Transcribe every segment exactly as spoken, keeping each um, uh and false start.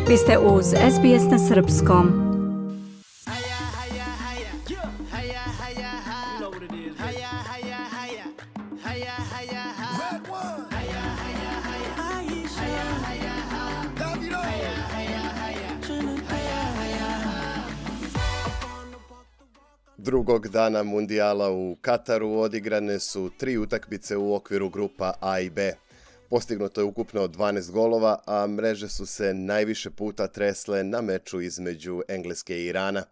Vi ste uz S B S na srpskom. Drugog dana mundijala u Kataru odigrane su tri utakmice u okviru grupa A i B. Postignuto je ukupno dvanaest golova, a mreže su se najviše puta tresle na meču između Engleske i Irana.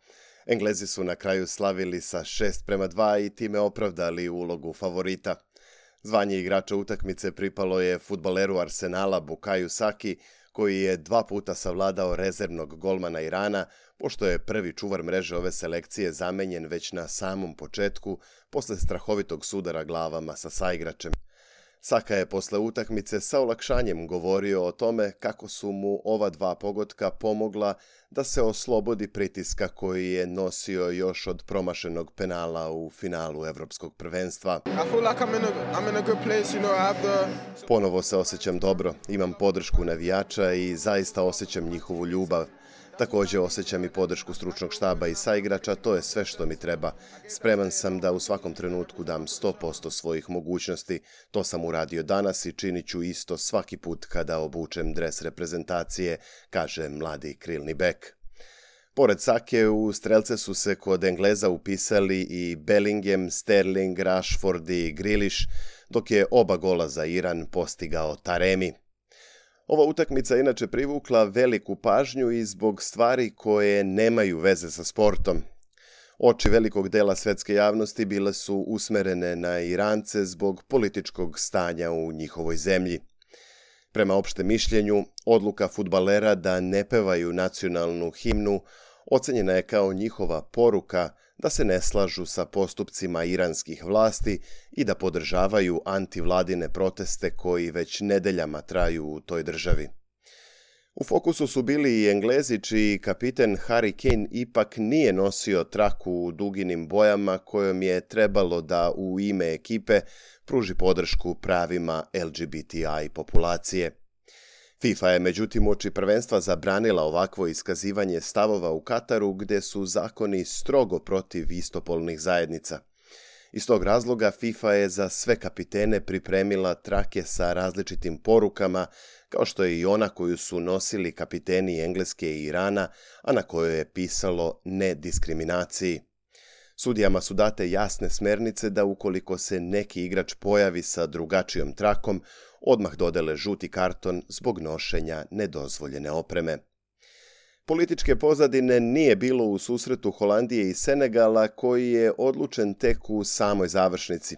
Englezi su na kraju slavili sa šest prema dva i time opravdali ulogu favorita. Zvanje igrača utakmice pripalo je fudbaleru Arsenala Bukayo Saki, koji je dva puta savladao rezervnog golmana Irana, pošto je prvi čuvar mreže ove selekcije zamenjen već na samom početku, posle strahovitog sudara glavama sa saigračem. Saka je posle utakmice sa olakšanjem govorio o tome kako su mu ova dva pogotka pomogla da se oslobodi pritiska koji je nosio još od promašenog penala u finalu Evropskog prvenstva. Ponovo se osjećam dobro, imam podršku navijača i zaista osjećam njihovu ljubav. Također osjećam i podršku stručnog štaba i saigrača, to je sve što mi treba. Spreman sam da u svakom trenutku dam sto posto svojih mogućnosti. To sam uradio danas i činit ću isto svaki put kada obučem dres reprezentacije, kaže mladi krilni bek. Pored Sake, u strelce su se kod Engleza upisali i Bellingham, Sterling, Rashford i Grealish, dok je oba gola za Iran postigao Taremi. Ova utakmica inače privukla veliku pažnju i zbog stvari koje nemaju veze sa sportom. Oči velikog dela svetske javnosti bile su usmerene na Irance zbog političkog stanja u njihovoj zemlji. Prema opštem mišljenju, odluka fudbalera da ne pevaju nacionalnu himnu ocenjena je kao njihova poruka da se ne slažu sa postupcima iranskih vlasti i da podržavaju antivladine proteste koji već nedeljama traju u toj državi. U fokusu su bili i Englezi, čiji kapiten Harry Kane ipak nije nosio traku u duginim bojama kojom je trebalo da u ime ekipe pruži podršku pravima L G B T I populacije. FIFA je međutim uoči prvenstva zabranila ovakvo iskazivanje stavova u Kataru, gde su zakoni strogo protiv istopolnih zajednica. Iz tog razloga FIFA je za sve kapitene pripremila trake sa različitim porukama, kao što je i ona koju su nosili kapiteni Engleske i Irana, a na kojoj je pisalo ne diskriminaciji. Sudijama su date jasne smernice da ukoliko se neki igrač pojavi sa drugačijom trakom, odmah dodele žuti karton zbog nošenja nedozvoljene opreme. Političke pozadine nije bilo u susretu Holandije i Senegala, koji je odlučen tek u samoj završnici.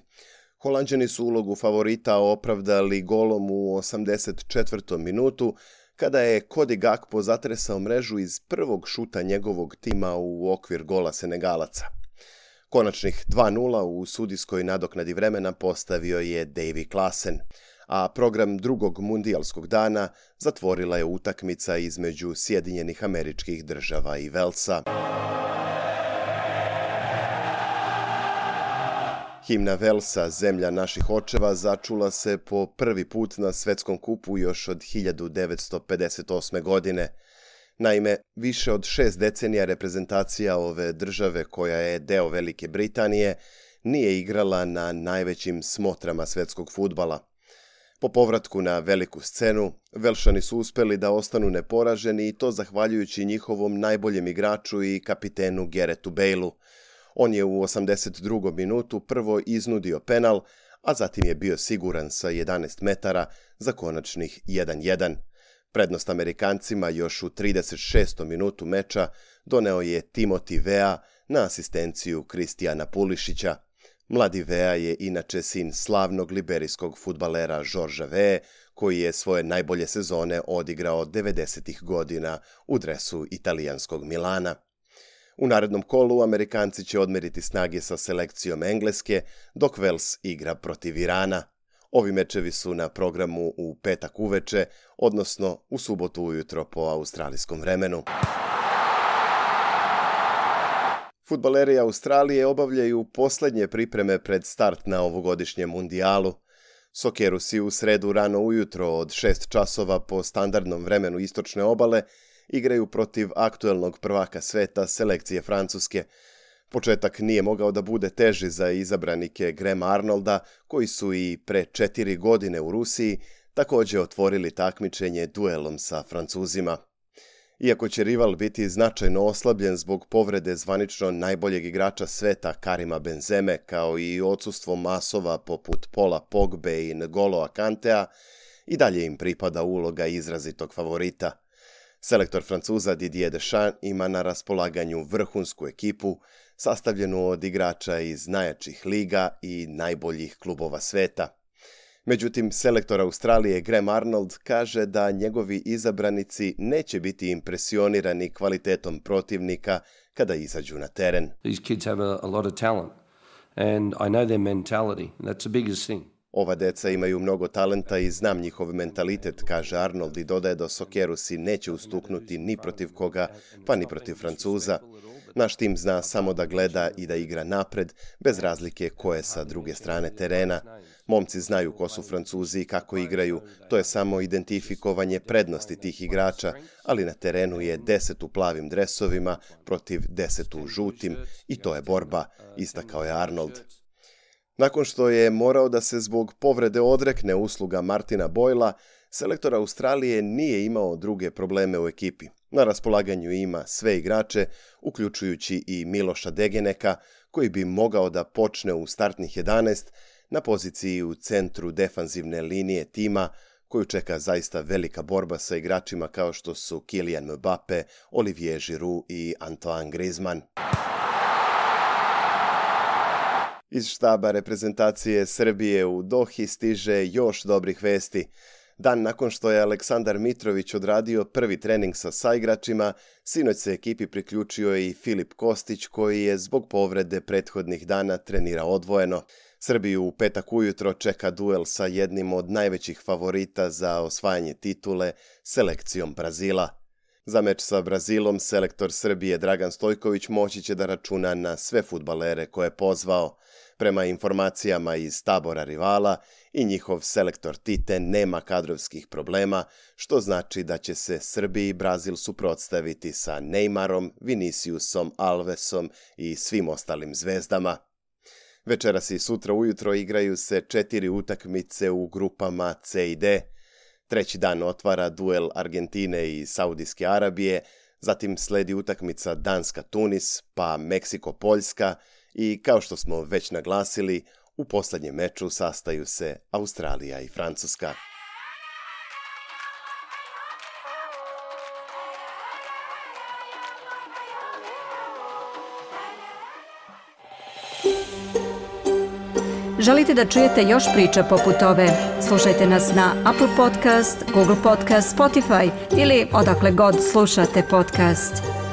Holanđani su ulogu favorita opravdali golom u osamdeset četvrtom minutu, kada je Cody Gakpo zatresao mrežu iz prvog šuta njegovog tima u okvir gola Senegalaca. Konačnih dva nula u sudijskoj nadoknadi vremena postavio je Davy Klaassen, a program drugog mundijalskog dana zatvorila je utakmica između Sjedinjenih Američkih Država i Velsa. Himna Velsa, zemlja naših očeva, začula se po prvi put na svetskom kupu još od hiljadu devetsto pedeset osme. godine. Naime, više od šest decenija reprezentacija ove države, koja je deo Velike Britanije, nije igrala na najvećim smotrama svetskog fudbala. Po povratku na veliku scenu, Velšani su uspeli da ostanu neporaženi i to zahvaljujući njihovom najboljem igraču i kapitenu Garethu Baleu. On je u osamdeset drugom minutu prvo iznudio penal, a zatim je bio siguran sa jedanaest metara za konačnih jedan jedan. Prednost Amerikancima još u trideset šestom minutu meča doneo je Timothy Weah na asistenciju Kristijana Pulišića. Mladi Weah je inače sin slavnog liberijskog fudbalera Georgea Weah, koji je svoje najbolje sezone odigrao devedesetih godina u dresu italijanskog Milana. U narednom kolu Amerikanci će odmeriti snage sa selekcijom Engleske, dok Wales igra protiv Irana. Ovi mečevi su na programu u petak uveče, odnosno u subotu ujutro po australijskom vremenu. Fudbaleri Australije obavljaju poslednje pripreme pred start na ovogodišnjem mundijalu. Sokerusi u sredu rano ujutro od šest časova po standardnom vremenu istočne obale igraju protiv aktuelnog prvaka sveta selekcije Francuske. Početak nije mogao da bude teži za izabranike Grahama Arnolda, koji su i pre četiri godine u Rusiji također otvorili takmičenje duelom sa Francuzima. Iako će rival biti značajno oslabljen zbog povrede zvanično najboljeg igrača sveta Karima Benzeme, kao i odsustvo masova poput Paula Pogbe i N'Golo Kantea, i dalje im pripada uloga izrazitog favorita. Selektor Francuza Didier Deschamps ima na raspolaganju vrhunsku ekipu, sastavljenu od igrača iz najjačih liga i najboljih klubova sveta. Međutim, selektor Australije Graham Arnold kaže da njegovi izabranici neće biti impresionirani kvalitetom protivnika kada izađu na teren. These kids have a, a lot of talent and I know their mentality. That's the biggest thing. Ova deca imaju mnogo talenta i znam njihov mentalitet, kaže Arnold i dodaje da Sokerusi neće ustuknuti ni protiv koga, pa ni protiv Francuza. Naš tim zna samo da gleda i da igra napred, bez razlike ko je sa druge strane terena. Momci znaju ko su Francuzi i kako igraju, to je samo identifikovanje prednosti tih igrača, ali na terenu je deset u plavim dresovima protiv deset u žutim i to je borba, istakao je Arnold. Nakon što je morao da se zbog povrede odrekne usluga Martina Boyla, selektor Australije nije imao druge probleme u ekipi. Na raspolaganju ima sve igrače, uključujući i Miloša Degeneka, koji bi mogao da počne u startnih jedanaest na poziciji u centru defanzivne linije tima, koju čeka zaista velika borba sa igračima kao što su Kylian Mbappe, Olivier Giroud i Antoine Griezmann. Iz štaba reprezentacije Srbije u Dohi stiže još dobrih vesti. Dan nakon što je Aleksandar Mitrović odradio prvi trening sa saigračima, sinoć se ekipi priključio i Filip Kostić, koji je zbog povrede prethodnih dana trenirao odvojeno. Srbiju u petak ujutro čeka duel sa jednim od najvećih favorita za osvajanje titule, selekcijom Brazila. Za meč sa Brazilom selektor Srbije Dragan Stojković moći će da računa na sve fudbalere koje je pozvao. Prema informacijama iz tabora rivala, i njihov selektor Tite nema kadrovskih problema, što znači da će se Srbiji i Brazil suprotstaviti sa Neymarom, Viniciusom, Alvesom i svim ostalim zvezdama. Večeras i sutra ujutro igraju se četiri utakmice u grupama C i D. Treći dan otvara duel Argentine i Saudijske Arabije, zatim sledi utakmica Danska-Tunis, pa Meksiko-Poljska i, kao što smo već naglasili, u posljednjem meču sastaju se Australija i Francuska. Želite da čujete još priča poput ove? Slušajte nas na Apple Podcast, Google Podcast, Spotify ili odakle god slušate podcast.